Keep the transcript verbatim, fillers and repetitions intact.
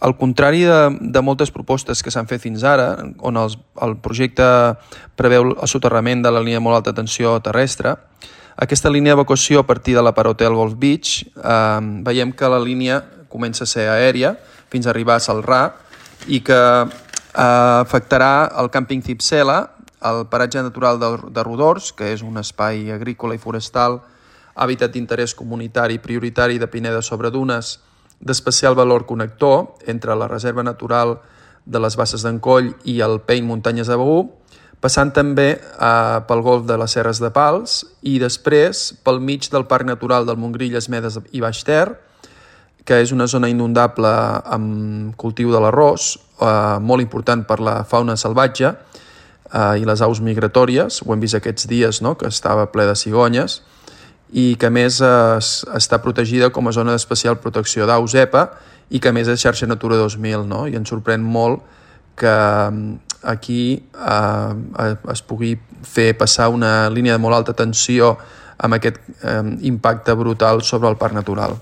al contrari de, de moltes propostes que s'han fet fins ara, on els, el projecte preveu el soterrament de la línia de molt alta tensió terrestre, aquesta línia d'evacuació a partir de la Parotel Golf Beach, eh, veiem que la línia comença a ser aèria fins a arribar a Celrà i que eh, afectarà el càmping Cipsela, el paratge natural de, de Rodors, que és un espai agrícola i forestal, hàbitat d'interès comunitari prioritari de Pineda sobre Dunes, d'especial valor connector entre la Reserva Natural de les Basses d'Encoll i el Peiny Muntanyes de Begur, passant també eh, pel golf de les Serres de Pals i després pel mig del Parc Natural del Montgrí, Medes i Baix Ter, que és una zona inundable amb cultiu de l'arròs, eh, molt important per la fauna salvatge eh, i les aus migratòries. Ho hem vist aquests dies, no?, que estava ple de cigonyes, i que a més es, està protegida com a zona d'especial protecció d'aus E P A i que a més és xarxa Natura dos mil, no? I ens sorprèn molt que aquí eh, es pugui fer passar una línia de molt alta tensió amb aquest eh, impacte brutal sobre el parc natural.